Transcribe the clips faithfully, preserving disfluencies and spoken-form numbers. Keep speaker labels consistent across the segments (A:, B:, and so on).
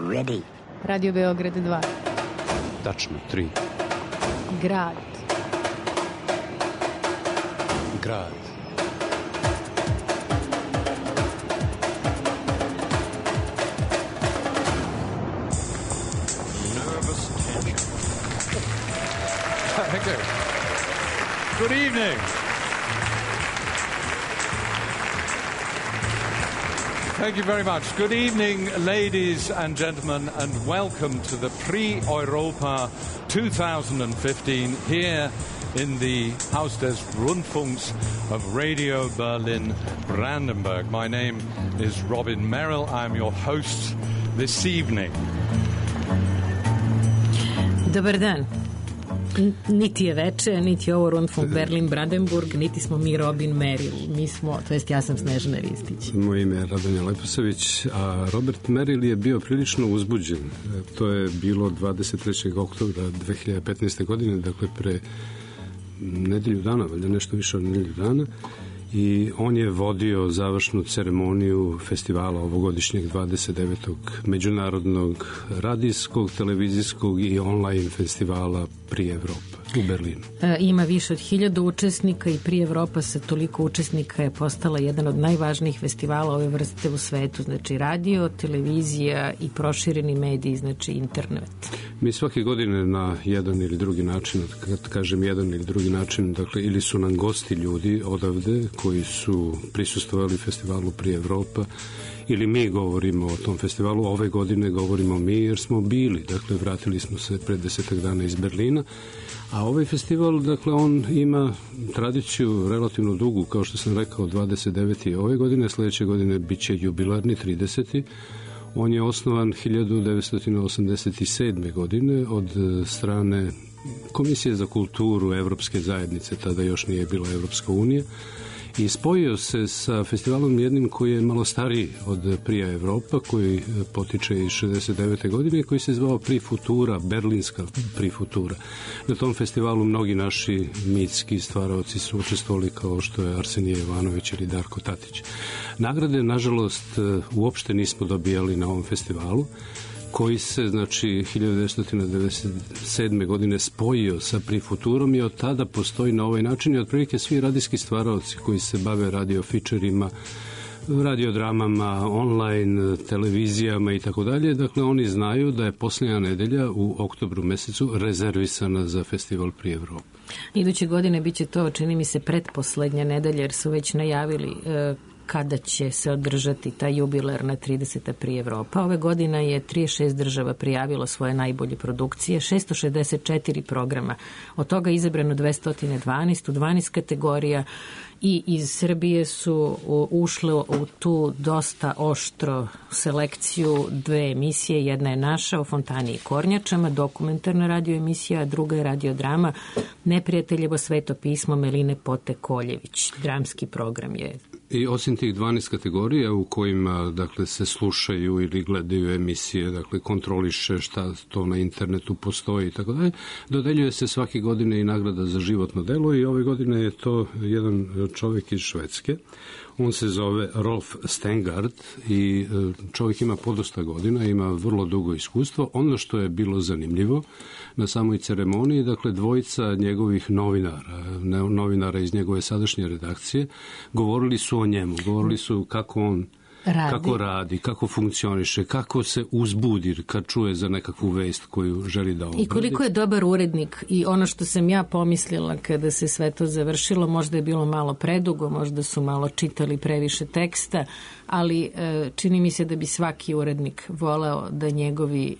A: ready.
B: Radio Beograd dva.
C: Tačno, tri.
B: Grad.
C: Grad.
D: Nervous tension. Thank you. Good evening. Thank you very much. Good evening, ladies and gentlemen, and welcome to the Prix Europa twenty fifteen here in the Haus des Rundfunks of Radio Berlin Brandenburg. My name is Robin Merrill. I'm your host this evening.
E: Dobar dan. Niti je veče, niti je ovo Rundfunk Berlin Brandenburg, niti smo mi Robin Merrill. Mi smo, to jest ja sam Snežana Ristić.
C: Moje ime je Radonja Leposavić, a Robert Merrill je bio prilično uzbuđen. To je bilo dvadeset trećeg oktobra dve hiljade petnaeste. godine, dakle pre nedelju dana, valjda nešto više od nedelju dana. I on je vodio završnu ceremoniju festivala ovogodišnjeg dvadeset devetog međunarodnog radijskog, televizijskog i online festivala Prix Europa u Berlinu.
E: E, ima više od hiljadu učesnika i Prix Europa sa toliko učesnika je postala jedan od najvažnijih festivala ove vrste u svetu, znači radio, televizija i prošireni mediji, znači internet.
C: Mi svake godine na jedan ili drugi način, kad kažem jedan ili drugi način, dakle ili su nam gosti ljudi odavde koji su prisustvovali festivalu Prix Europa, ili mi govorimo o tom festivalu. Ove godine govorimo mi jer smo bili, dakle vratili smo se pred desetak dana iz Berlina, a ovaj festival, dakle on ima tradiciju relativno dugu, kao što sam rekao, dvadeset deveti ove godine, sledeće godine bit će jubilarni trideseti. On je osnovan hiljadu devetsto osamdeset sedme. godine od strane Komisije za kulturu Evropske zajednice, tada još nije bila Evropska unija, i spojio se sa festivalom jednim koji je malo stariji od Prix Europa, koji potiče iz šezdeset devete. godine, koji se zvao Prix Futura, berlinska Prix Futura. Na tom festivalu mnogi naši mitski stvaraoci su učestvovali, kao što je Arsenije Ivanović ili Darko Tatić. Nagrade, nažalost, uopšte nismo dobijali na ovom festivalu, koji se, znači, hiljadu devetsto devedeset sedme. godine spojio sa Prix Futurom i od tada postoji na ovaj način i otprilike svi radijski stvaraoci koji se bave radio fičerima, radiodramama, online, televizijama i tako dalje. Dakle, oni znaju da je posljednja nedelja u oktobru mesecu rezervisana za festival Prix Europa.
E: Iduće godine biće to, čini mi se, pretposlednja nedelja, jer su već najavili e, kada će se održati ta jubilarna trideseta Prix Europa. Ove godine je trideset šest država prijavilo svoje najbolje produkcije, šesto šezdeset četiri programa. Od toga je izabrano dvesta dvanaest u dvanaest kategorija i iz Srbije su ušle u tu dosta oštro selekciju dve emisije. Jedna je naša o Fontani i Kornjačama, dokumentarna radio emisija, a druga je radiodrama Neprijateljevo sveto pismo Meline Pote Koljević. Dramski program je.
C: I osim tih dvanaest kategorija u kojima, dakle, se slušaju ili gledaju emisije, dakle, kontroliše šta to na internetu postoji i tako dalje, dodeljuje se svake godine i nagrada za životno delo i ove godine je to jedan čovjek iz Švedske. On se zove Rolf Stengard i čovjek ima podosta godina, ima vrlo dugo iskustvo. Ono što je bilo zanimljivo na samoj ceremoniji, dakle, dvojica njegovih novinara, novinara iz njegove sadašnje redakcije, govorili su o njemu, govorili su kako on Radi. Kako radi, kako funkcioniše, kako se uzbudi kad čuje za nekakvu vest koju želi da obradi.
E: I koliko je dobar urednik. I ono što sam ja pomislila kada se sve to završilo, možda je bilo malo predugo, možda su malo čitali previše teksta, ali čini mi se da bi svaki urednik voleo da njegovi,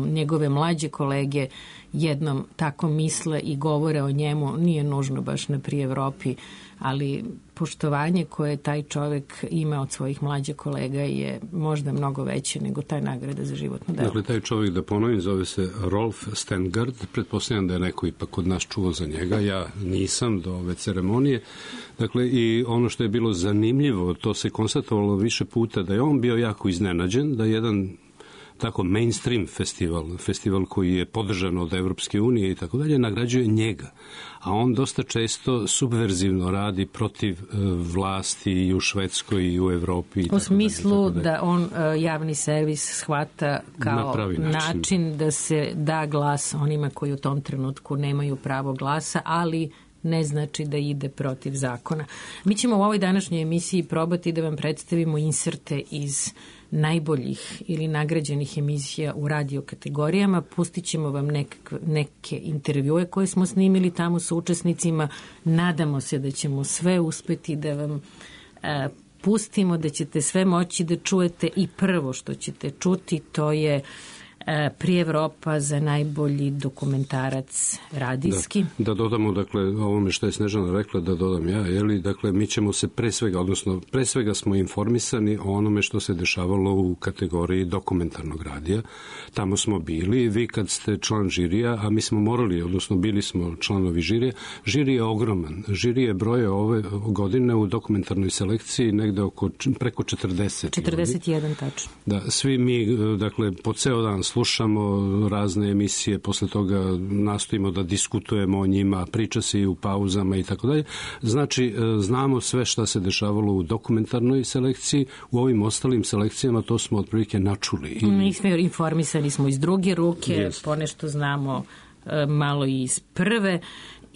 E: njegove mlađe kolege jednom tako misle i govore o njemu. Nije nužno baš na Prix Evropi, ali poštovanje koje taj čovek ima od svojih mlađih kolega je možda mnogo veće nego taj nagrada za životno delo.
C: Dakle, taj čovek, da ponovim, zove se Rolf Stengard. Pretpostavljam da je neko ipak kod nas čuo za njega. Ja nisam do ove ceremonije. Dakle, i ono što je bilo zanimljivo, to se konstatovalo više puta, da je on bio jako iznenađen, da jedan tako mainstream festival, festival koji je podržan od Evropske unije i tako dalje, nagrađuje njega. A on dosta često subverzivno radi protiv vlasti i u Švedskoj i u Evropi. I
E: u smislu
C: dalje,
E: da on javni servis shvata kao na način. način da se da glas onima koji u tom trenutku nemaju pravo glasa, ali ne znači da ide protiv zakona. Mi ćemo u ovoj današnjoj emisiji probati da vam predstavimo inserte iz najboljih ili nagrađenih emisija u radio kategorijama. Pustit ćemo vam nekakve, neke intervjue koje smo snimili tamo sa učesnicima. Nadamo se da ćemo sve uspeti da vam e, pustimo, da ćete sve moći da čujete i prvo što ćete čuti to je Pri Evropa za najbolji dokumentarac radijski.
C: Da, da dodamo, dakle, ovome što je Snežana rekla, da dodam ja, jeli, dakle, mi ćemo se pre svega, odnosno, pre svega smo informisani o onome što se dešavalo u kategoriji dokumentarnog radija. Tamo smo bili, vi kad ste član žirija, a mi smo morali, odnosno, bili smo članovi žirija, žiri je ogroman. Žiri je broje ove godine u dokumentarnoj selekciji negde oko preko četrdeset.
E: četrdeset jedan, tačno.
C: Da, svi mi, dakle, po ceo dan slušamo razne emisije, posle toga nastojimo da diskutujemo o njima, priča se i u pauzama i tako dalje. Znači, znamo sve šta se dešavalo u dokumentarnoj selekciji, u ovim ostalim selekcijama to smo otprilike načuli. I...
E: Mi smo informisani smo iz druge ruke, yes. Ponešto znamo e, malo i iz prve.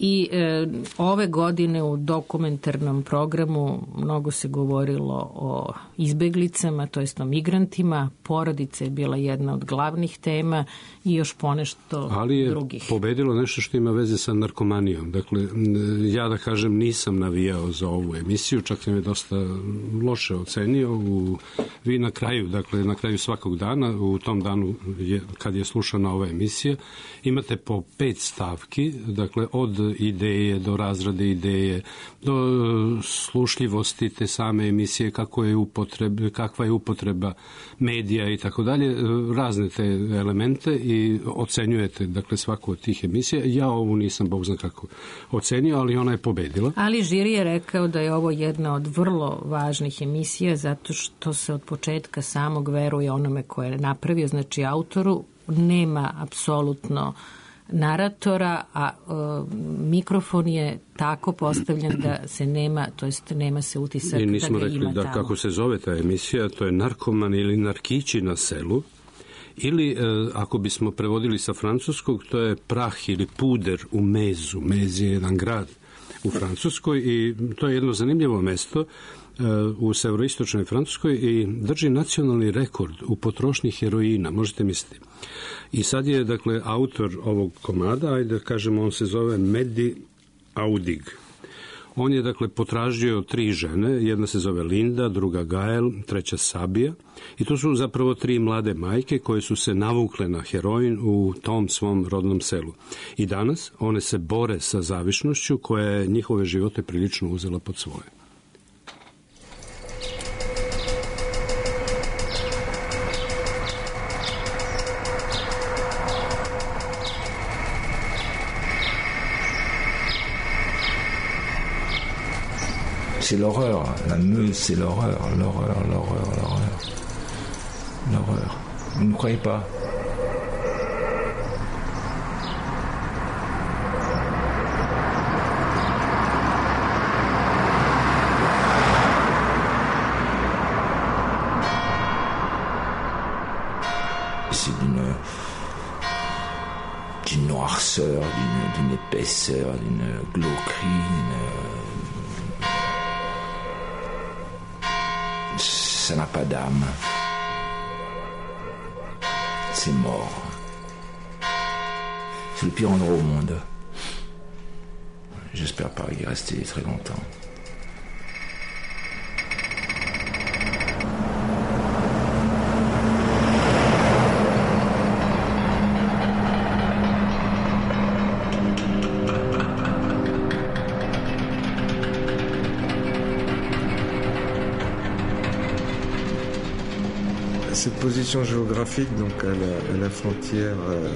E: I e, ove godine u dokumentarnom programu mnogo se govorilo o izbeglicama, to jest o migrantima. Porodica je bila jedna od glavnih tema i još ponešto drugih.
C: Ali je
E: drugih.
C: Pobedilo nešto što ima veze sa narkomanijom. Dakle, ja da kažem nisam navijao za ovu emisiju, čak sam je dosta loše ocenio. U, vi na kraju, dakle na kraju svakog dana, u tom danu je, kad je slušana ova emisija, imate po pet stavki, dakle od ideje do razrade ideje, do slušljivosti te same emisije, kako je upotreba, kakva je upotreba medija i tako dalje, razne te elemente i ocenjujete, dakle, svaku od tih emisija. Ja ovu nisam, Bog zna kako, ocenio, ali ona je pobedila.
E: Ali žiri je rekao da je ovo jedna od vrlo važnih emisija zato što se od početka samog veruje onome koje je napravio, znači autoru, nema apsolutno naratora, a e, mikrofon je tako postavljen da se nema, to jest nema se utisak da ga ima tamo. I nismo rekli da
C: kako se zove ta emisija, to je Narkoman ili Narkići na selu, ili e, ako bismo prevodili sa francuskog, to je prah ili puder u Mezu. Mez je jedan grad u Francuskoj i to je jedno zanimljivo mesto u severoistočnoj Francuskoj i drži nacionalni rekord u potrošnji heroina, možete misliti. I sad je, dakle, autor ovog komada, ajde da kažemo, on se zove Mehdi Aoudig. On je, dakle, potražio tri žene, jedna se zove Linda, druga Gael, treća Sabija, i to su zapravo tri mlade majke koje su se navukle na heroin u tom svom rodnom selu. I danas one se bore sa zavišnošću koja je njihove živote prilično uzela pod svoje.
A: C'est l'horreur, la Meuse, c'est l'horreur, l'horreur, l'horreur, l'horreur, l'horreur. Vous ne croyez pas? C'est d'une, d'une noirceur, d'une, d'une épaisseur, d'une glauquerie, d'une... Ça n'a pas d'âme. C'est mort. C'est le pire endroit au monde. J'espère pas y rester très longtemps.
F: Cette position géographique, donc à la, à la frontière euh,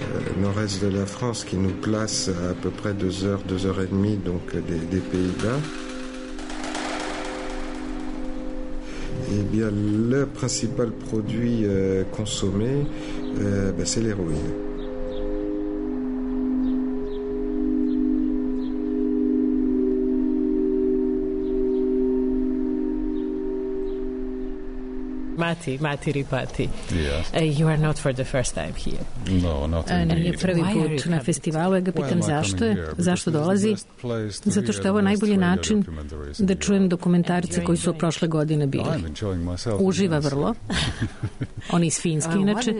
F: nord-est de la France, qui nous place à, à peu près deux heures, deux heures et demie, donc des, des Pays-Bas. eh bien, le principal produit euh, consommé, euh, ben, c'est l'héroïne.
E: Mati, Mati Ripati.
G: Yes.
E: Uh, you are not for the first time here.
G: No, not
E: Uh,
G: indeed.
E: nije prvi put na festivalu, ja ga pitam
G: Why am I
E: zašto
G: coming
E: je,
G: here?
E: zašto
G: Because
E: dolazi,
G: it's the best place to
E: zato što je ovo
G: hear the
E: najbolji
G: best radio
E: način
G: documentaries in
E: da
G: Europe.
E: čujem dokumentarce koji su prošle godine bili.
G: I'm enjoying myself
E: Uživa
G: immensely.
E: vrlo. On je iz Finske, inače.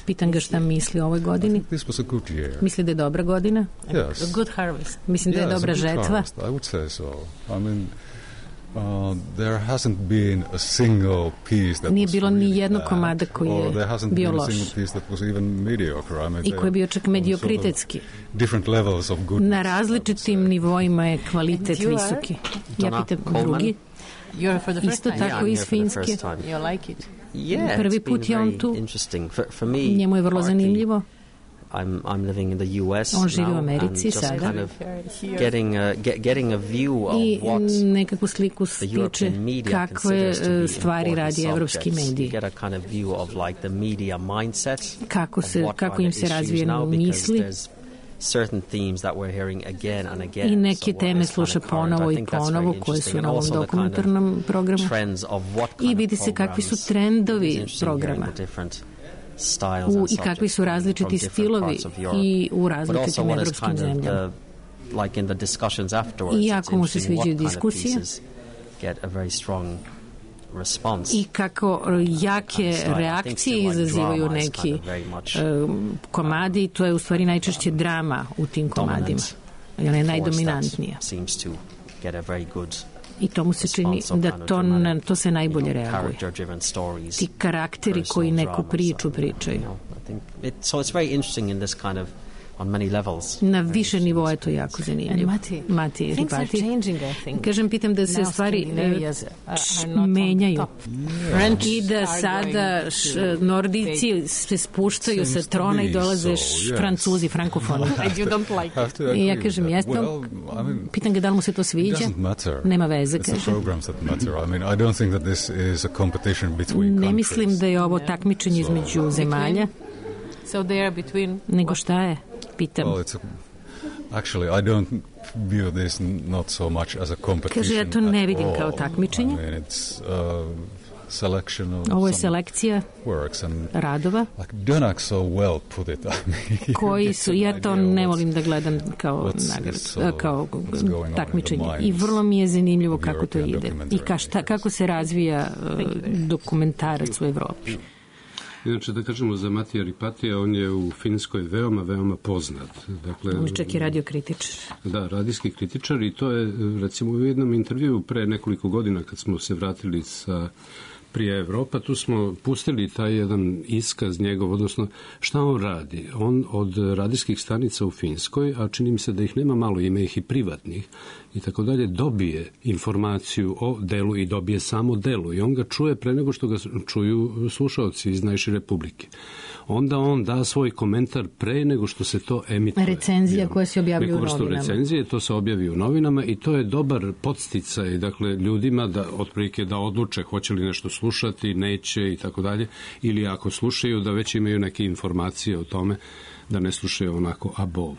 E: Pitam ga šta misli o ovoj godini.
G: This was a good year.
E: Misli da je dobra godina?
G: Yes.
E: Good harvest. Mislim da je
G: Yes,
E: dobra
G: a good
E: žetva.
G: harvest, I would say so. I mean, Uh, there hasn't been a single piece that
E: Nije
G: was
E: bilo ni
G: really
E: jednog
G: bad,
E: komada koji
G: or
E: je
G: there hasn't
E: bio
G: been a
E: loš.
G: single piece that was even mediocre. I mean,
E: I koji je bio čak
G: they're on
E: mediokritetski.
G: sort of different levels of goodness,
E: Na različitim nivoima je kvalitet visoki. Ja pitam drugi.
H: You're for the first
E: Isto
H: time.
E: tako iz Finske.
H: You like it?
I: Yeah,
E: Prvi
I: it's been
E: put je on
I: very
E: tu.
I: interesting. For, for me,
E: Njemu je vrlo
I: partly,
E: zanimljivo.
I: I'm I'm living in the U S
E: On živi u
I: now, and
E: Americi
I: just
E: sada.
I: kind of getting a, get, getting a view of
E: I
I: what
E: nekakvu sliku
I: the
E: stiče
I: European media
E: kakve
I: considers to be
E: e, stvari
I: important
E: radi evropski
I: subjects.
E: mediji.
I: You get a kind of view of like the media mindset.
E: Kako,
I: of
E: se,
I: what
E: kako
I: kind
E: im
I: of
E: se
I: issues
E: razvijaju
I: now, because
E: misli
I: there's certain themes that we're hearing again and again.
E: i neke
I: So what
E: teme
I: is kind
E: sluša
I: of current,
E: ponovo
I: I
E: i
I: think that's
E: ponovo
I: very
E: koje su
I: interesting.
E: na
I: And
E: ovom
I: also the kind of
E: dokumentarnom programu.
I: trends of what
E: I
I: kind
E: vidi
I: of
E: se kakvi su
I: programs
E: trendovi
I: is interesting
E: programa.
I: hearing the different styles
E: U,
I: and
E: i kakvi su
I: subjects
E: različiti
I: from different
E: stilovi
I: parts of Europe.
E: i u
I: But also
E: različitim
I: what is
E: evropskim
I: kind of
E: zemljama.
I: the, like in the discussions afterwards,
E: I
I: it's
E: jako mu se
I: interesting what
E: sviđaju
I: kind of
E: diskusije.
I: pieces get a very strong response.
E: I kako jake
I: So I think
E: reakcije
I: still like
E: izazivaju
I: drama is
E: neki
I: kind of very much
E: um, komadi, to je u stvari najčešće drama u tim komadima.
I: dominant
E: Ona je
I: force
E: najdominantnija.
I: that seems to get a very good
E: I to mu se čini
I: response of
E: da
I: kind of
E: to,
I: dramatic,
E: na, to se najbolje
I: you know,
E: reaguje.
I: character-driven stories,
E: Ti karakteri
I: personal
E: koji neku
I: dramas,
E: priču
I: and,
E: pričaju.
I: you know, I think it, so it's very interesting in this kind of on many levels.
E: Na više nivoa je to jako zanimljivo.
H: Mati,
E: Mati,
H: things are
E: Ripati.
H: changing, I think.
E: Kažem, pitam da se
H: Now
E: stvari
H: Scandinavians
E: e,
H: are
E: č-
H: not on
E: menjaju.
H: top.
E: French I da
H: are
E: sada
H: going
E: š,
H: to
E: Nordici se spuštaju sa
G: Seems to
E: trona i
G: be
E: dolaze
G: so,
E: š-
G: yes.
E: Francuzi, frankofoni.
H: And you don't like
G: Have
H: it.
G: to
E: I
G: agree
E: ja
G: with
E: kažem,
G: that.
E: jesno.
G: Well, I mean,
E: Pitam ga da li mu se to
G: it
E: sviđa.
G: doesn't matter.
E: Nema veze,
G: It's the
E: kaže.
G: programs that matter. I mean, I don't think that this is a competition between
E: Ne
G: countries.
E: mislim da je ovo takmičenje između zemalja,
H: So they are between...
E: nego šta je? Pitam.
G: Well, it's a, actually, I don't view this not so much as a competition.
E: Kaže, ja to ne
G: at
E: vidim
G: all.
E: kao takmičenje.
G: I mean, it's uh, selection of
E: Ovo je
G: some
E: selekcija
G: works and
E: radova
G: like Dönak so well put it. I mean,
E: koji
G: you
E: su,
G: get
E: ja
G: an
E: to
G: idea
E: ne
G: what's-
E: volim da gledam kao
G: what's-
E: nagradu,
G: so-
E: kao
G: what's going on in the
E: takmičenje. I
G: minds
E: vrlo mi je zanimljivo
G: of
E: kako to
G: European
E: ide i
G: documentary
E: ka šta,
G: makers.
E: kako se razvija uh, dokumentarac u Evropi.
C: Inače, da kažemo za Matija Ripatija, on je u Finskoj veoma, veoma poznat. Dakle,
E: On je čak i radiokritičar.
C: Da, radijski kritičar i to je, recimo, u jednom intervju pre nekoliko godina kad smo se vratili sa prije Evropa, tu smo pustili taj jedan iskaz njegov, odnosno šta on radi. On od radijskih stanica u Finskoj, a čini mi se da ih nema malo, ima ih i privatnih, i tako dalje, dobije informaciju o delu i dobije samo delu. I on ga čuje pre nego što ga čuju slušaoci iz najšire publike. Onda on da svoj komentar pre nego što se to emituje.
E: Recenzija koja se objavljuje u
C: Neku vrstu
E: novinama.
C: recenzije, to se objavi u novinama i to je dobar podsticaj, dakle, ljudima da otprilike da odluče hoće li nešto slušati, neće i tako dalje, ili ako slušaju da već imaju neke informacije o tome, da ne slušaju onako abovu.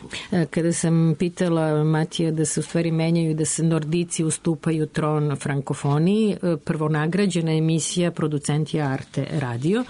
E: Kada sam pitala Matija da se u stvari menjaju, da se Nordici ustupaju tron frankofoniji, prvo nagrađena emisija Producenti Arte radio.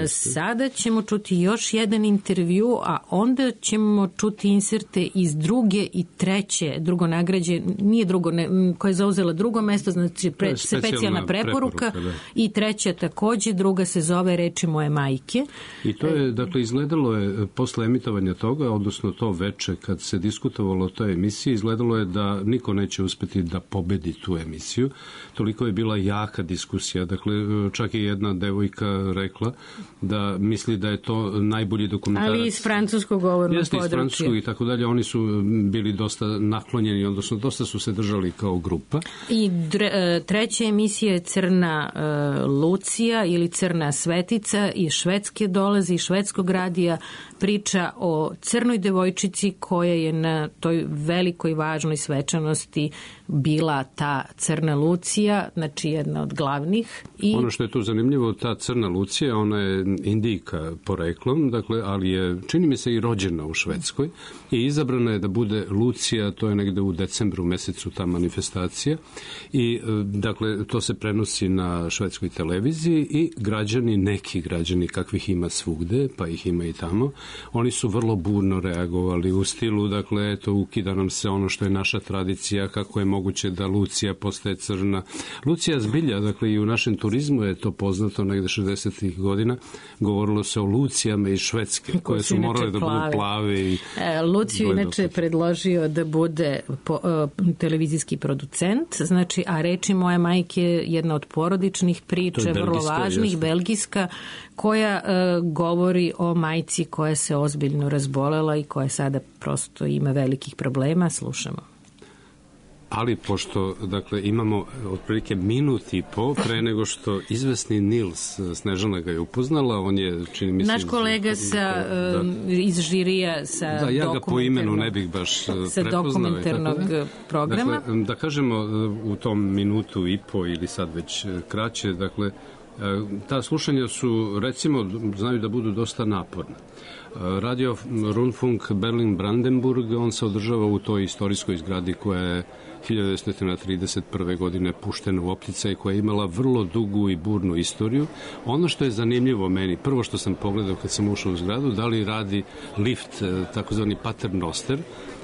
E: Sada ćemo čuti još jedan intervju, a onda ćemo čuti inserte iz druge i treće, drugo nagrađe, nije drugo, ne, koja je zauzela drugo mesto, znači pre,
C: specijalna
E: specijalna preporuka,
C: preporuka, da.
E: i treća takođe, druga se zove Reči moje majke.
C: I to je, dakle, izgledalo je posle emitovanja toga, odnosno to veče kad se diskutovalo o toj emisiji, izgledalo je da niko neće uspeti da pobedi tu emisiju. Toliko je bila jaka diskusija. Dakle, čak je jedna devojka rekla da misli da je to najbolji dokumentarac.
E: Ali iz francuskog govornog
C: Jeste, iz
E: područja.
C: francuskog i tako dalje. Oni su bili dosta naklonjeni, odnosno dosta su se držali kao grupa.
E: I dre, treća emisija je Crna uh, Lucija ili Crna Svetica, iz Švedske dolazi, iz švedskog radija, priča priča o crnoj devojčici koja je na toj velikoj važnoj svečanosti bila ta crna Lucija, znači jedna od glavnih. I
C: ono što je tu zanimljivo, ta crna Lucija, ona je Indijka poreklom, dakle, ali je, čini mi se, i rođena u Švedskoj i izabrana je da bude Lucija, to je negde u decembru mesecu ta manifestacija i, dakle, to se prenosi na švedskoj televiziji i građani, neki građani kakvih ima svugde, pa ih ima i tamo, oni su vrlo burno reagovali u stilu, dakle, eto, ukida nam se ono što je naša tradicija, kako je moguće da Lucija postaje crna. Lucija zbilja, dakle, i u našem turizmu je to poznato negde šezdesetih godina, govorilo se o Lucijama iz Švedske, koje, koje su morale da budu plave. I
E: e, Luciju inače predložio da bude po, uh, televizijski producent, znači, a reči moje majke je jedna od porodičnih priča, vrlo važnih, jeste. Belgijska, koja uh, govori o majci koja se ozbiljno razbolela i koja sada prosto ima velikih problema. Slušamo.
C: Ali pošto, dakle, imamo otprilike minut i po pre nego što izvesni Nils, Snežana ga je upoznala, on je, čini mi se...
E: Naš kolega iz, sa, da, iz žirija sa
C: da, ja ga po imenu ne bih baš
E: sa
C: prepoznao.
E: dokumentarnog programa.
C: Dakle, da kažemo u tom minutu i po ili sad već kraće, dakle, ta slušanja su, recimo, znaju da budu dosta naporne. Radio Rundfunk Berlin-Brandenburg, on se održava u toj istorijskoj zgradi koja je hiljadu devetsto trideset prve. godine puštena u opticaj, koja je imala vrlo dugu i burnu istoriju. Ono što je zanimljivo meni, prvo što sam pogledao kad sam ušao u zgradu, da li radi lift, takozvani paternoster,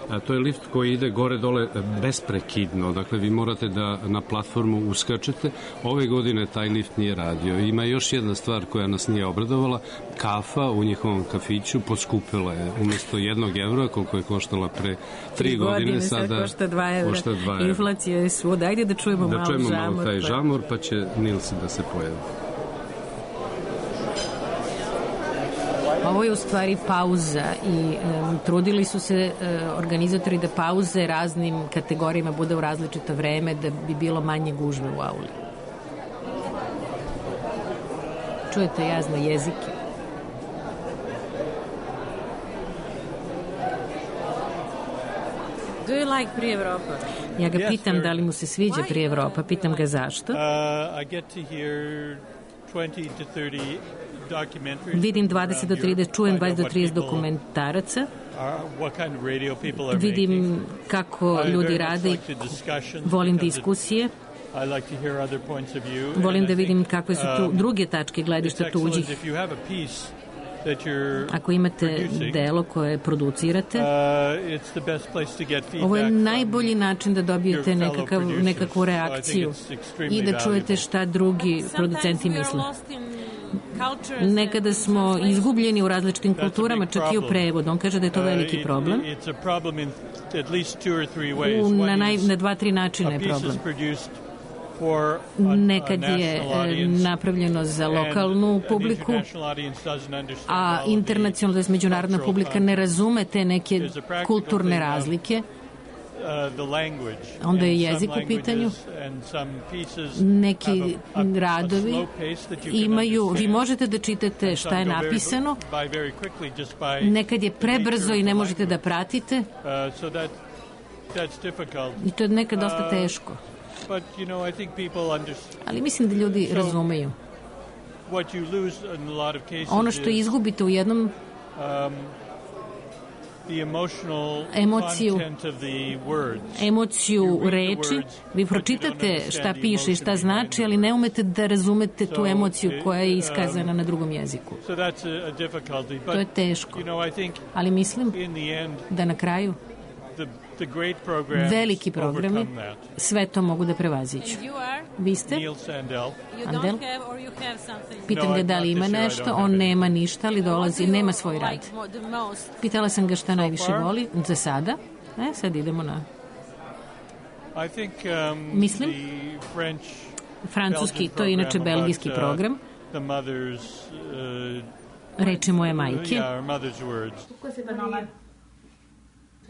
C: a to je lift koji ide gore-dole besprekidno, dakle vi morate da na platformu uskačete. Ove godine taj lift nije radio. Ima još jedna stvar koja nas nije obradovala, kafa u njihovom kafiću poskupila je umjesto jednog evra, koliko je koštala pre tri godine,
E: godine
C: sada,
E: sad košta dva evra.
C: Košta dva evra.
E: Inflacija je svuda. Ajde da čujemo
C: da
E: malo
C: čujemo
E: žamor.
C: Da čujemo malo taj
E: pa...
C: žamor, pa će Nils da se pojavi.
E: Ovo je u stvari pauza i um, trudili su se uh, organizatori da pauze raznim kategorijama bude u različito vreme da bi bilo manje gužve u auli. Čujete jazne jezike.
H: Do you like Pri Evropa?
E: Ja ga pitam da li mu se sviđa Pri Evropa, pitam ga zašto.
J: Uh, I get to hear twenty to thirty
E: vidim dvadeset do trideset, čujem dvadeset do trideset dokumentaraca, vidim kako ljudi rade i volim diskusije, volim da vidim kakve su tu druge tačke gledišta tuđih. Ako imate delo koje producirate, ovo je najbolji način da dobijete nekakav, nekakvu reakciju i da čujete šta drugi producenti misle. Nekada smo izgubljeni u različitim kulturama, čak i u prevodu. On kaže da je to veliki problem. U, na, naj, na dva, tri načina je problem. Nekad je napravljeno za lokalnu publiku, a internacionalna, to je međunarodna publika, ne razume te neke kulturne razlike. Onda je jezik u pitanju. Neki radovi imaju, vi možete da čitate šta je napisano, nekad je prebrzo i ne možete da pratite i to je nekad dosta teško. Ali mislim da ljudi razumeju. Ono što izgubite u jednom emociju, emociju reči, vi pročitate šta piše i šta znači, ali ne umete da razumete tu emociju koja je iskazana na drugom jeziku. To je teško. Ali mislim da na kraju veliki programi sve to mogu da prevaziđu. Vi ste? Andel? Pitam ga da li ima nešto, on nema ništa, ali dolazi, nema svoj rad. Pitala sam ga šta najviše voli, za sada. E, sad idemo na... Mislim, francuski, to je inače belgijski program. Reči moje majke.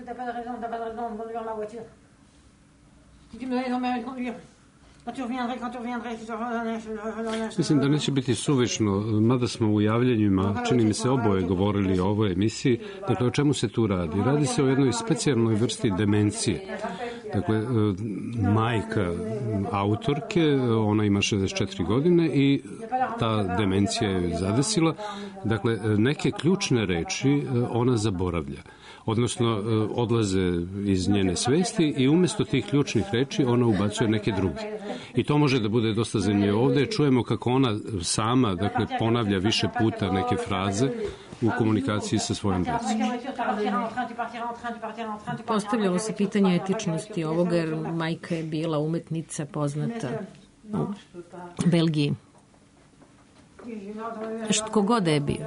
K: T'as pas de raison, t'as pas de raison de conduire ma voiture. Si tu me donnes ton permis de conduire,
C: Mislim da neće biti suvišno, mada smo u javljanjima, čini mi se, oboje govorili o ovoj emisiji. Dakle, o čemu se tu radi? Radi se o jednoj specijalnoj vrsti demencije. Dakle, majka autorke, ona ima šezdeset četiri godine i ta demencija je zadesila. Dakle, neke ključne reči ona zaboravlja. Odnosno, odlaze iz njene svesti i umjesto tih ključnih reči ona ubacuje neke druge. I to može da bude dosta zanimljivo. Ovdje čujemo kako ona sama, dakle, ponavlja više puta neke fraze u komunikaciji sa svojom djecom.
E: Postavljalo se pitanje etičnosti ovoga, jer majka je bila umetnica poznata u Belgiji. Što god da je bio.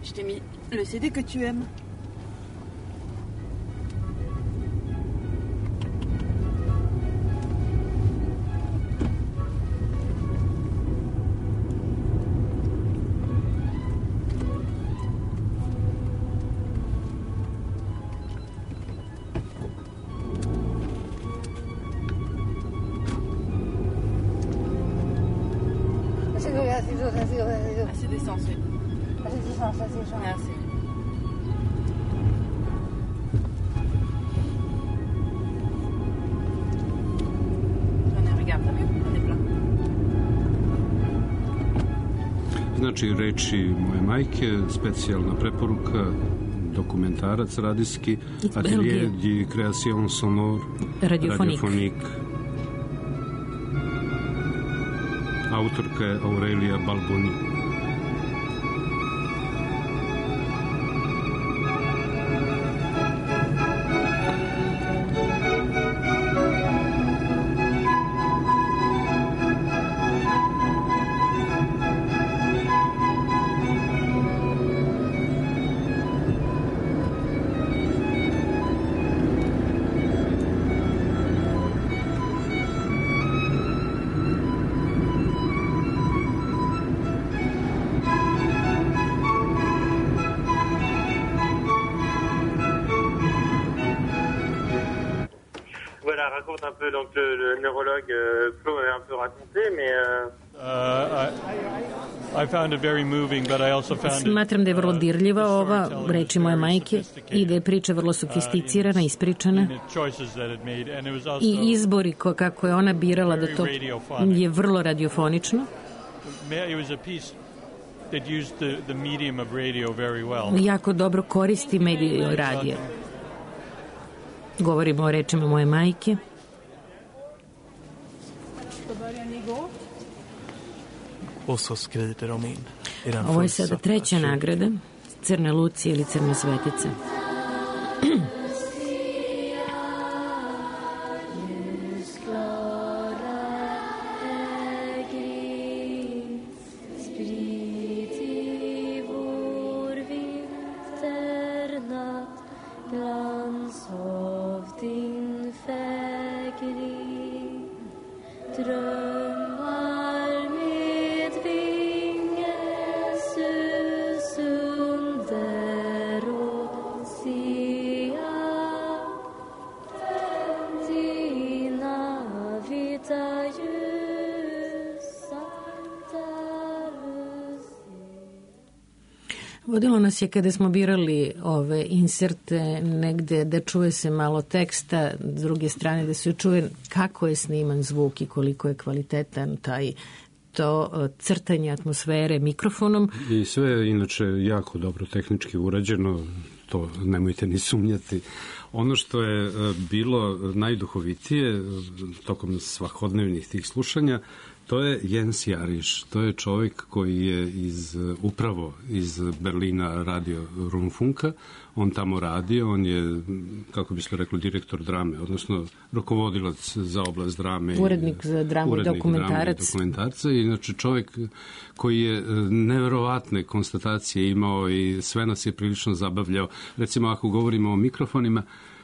K: Je t'ai mis le C D que tu aimes. Assez d'essence, oui. Merci. Regarde, t'as vu? On est plein.
C: Znači, reči moje majke, specijalna preporuka, dokumentarac radijski, Atelier de Création Sonore, Radiophonique. Autorka je Aurelia Balboni.
L: raconte un peu, donc le, le neurologue euh, Claude m'avait un peu raconté, mais... Euh...
J: Uh, I, I found it very moving, but I also found it,
E: Smatram da je vrlo dirljiva ova, reči moje majke, i da je priča vrlo sofisticirana, ispričana. I izbori ko, kako je ona birala da to je vrlo radiofonično. Jako dobro koristi medij radija. Govorimo o rečima moje majke. Ovo je sada treća nagrada, Crna Lucija ili Crna Svetica. Vodilo nas je kada smo birali ove inserte negde da čuje se malo teksta, s druge strane da se čuje kako je sniman zvuk i koliko je kvalitetan taj to crtanje atmosfere mikrofonom.
C: I sve je inače jako dobro tehnički urađeno, to nemojte ni sumnjati. Ono što je bilo najduhovitije tokom svakodnevnih tih slušanja, to je Jens Jariš, to je čovjek koji je iz, upravo iz Berlina radio Rundfunka, on tamo radio, on je, kako bi se rekli, direktor drame, odnosno rukovodilac za oblast drame.
E: Urednik za dramu i dokumentarac.
C: dokumentarca. Inače čovjek koji je neverovatne konstatacije imao i sve nas je prilično zabavljao. Recimo, ako govorimo o mikrofonima,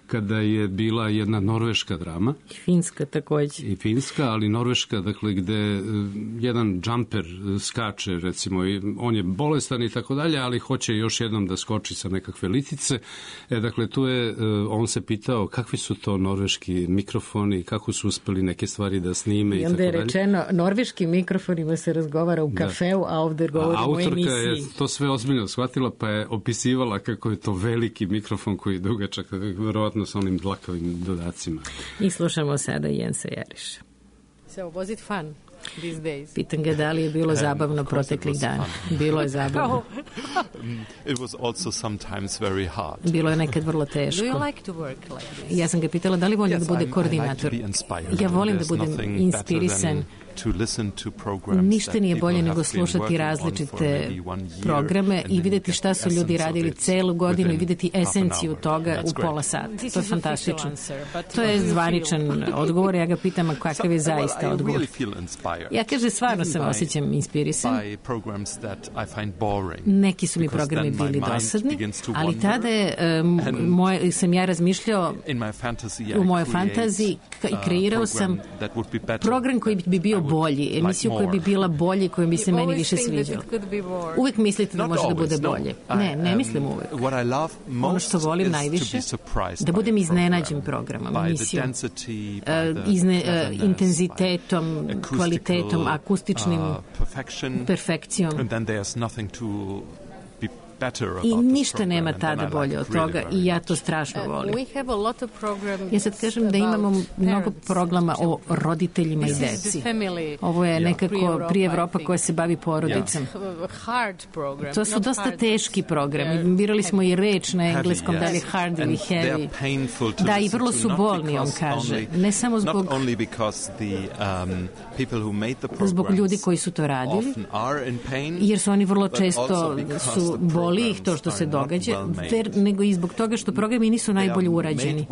C: kada je bila jedna norveška drama.
E: I finska također.
C: I finska, ali norveška, dakle, gde jedan džamper skače, recimo, i on je bolestan i tako dalje, ali hoće još jednom da skoči sa nekakve litice. E, dakle, tu je, on se pitao kakvi su to norveški mikrofoni, kako su uspeli neke stvari da snime i, i tako dalje. I onda je
E: rečeno, norveškim mikrofonima se razgovara u kafeu, da. A ovdje govorimo o emisiji.
C: Autorka je to sve ozbiljno shvatila, pa je opisivala kako je to veliki mikrofon koji je dugačak, verovatno sa onim dlakavim dodacima.
E: I slušamo sada Jensa Jariša.
H: So, was it fun these days?
E: Pitam ga da li je bilo zabavno proteklih dana. Bilo je zabavno.
M: It was also sometimes very hard.
E: Bilo je nekad vrlo teško.
H: Do you like to work like this?
E: Ja sam ga pitala da li volim yes, da bude koordinator.
M: Like
E: ja volim da budem inspirisan. Ništa nije bolje nego slušati različite programe i vidjeti šta su ljudi radili celu godinu i vidjeti esenciju toga u pola sata. To je fantastično. To je zvaničan odgovor. Ja ga pitam, a kakav je zaista odgovor. Ja kaže, stvarno se osjećam inspirisan. Neki su mi programi bili dosadni, ali tada je, um, moj, sam ja razmišljao u mojoj fantaziji i kreirao sam program koji bi bio bolji, emisiju koja bi bila bolje, koja bi se meni više sviđala. Uvijek mislite da može da bude bolje. Ne, ne mislim uvijek. Ono što volim najviše, da budem iznenađen programom, emisijom, izne, intenzitetom, kvalitetom, akustičnim perfekcijom. I ništa nema tada bolje od toga i ja to strašno volim. Ja sad kažem da imamo mnogo programa o roditeljima i deci. Ovo je nekako prije Evropa koja se bavi porodicom. To su dosta teški programi. Birali smo i reč na engleskom, da li je hard ili heavy. Da, i vrlo su bolni, on kaže. Ne samo zbog zbog ljudi koji su to radili, jer su oni vrlo često su boli ih to što se događa, ver, nego i zbog toga što programi nisu najbolje urađeni.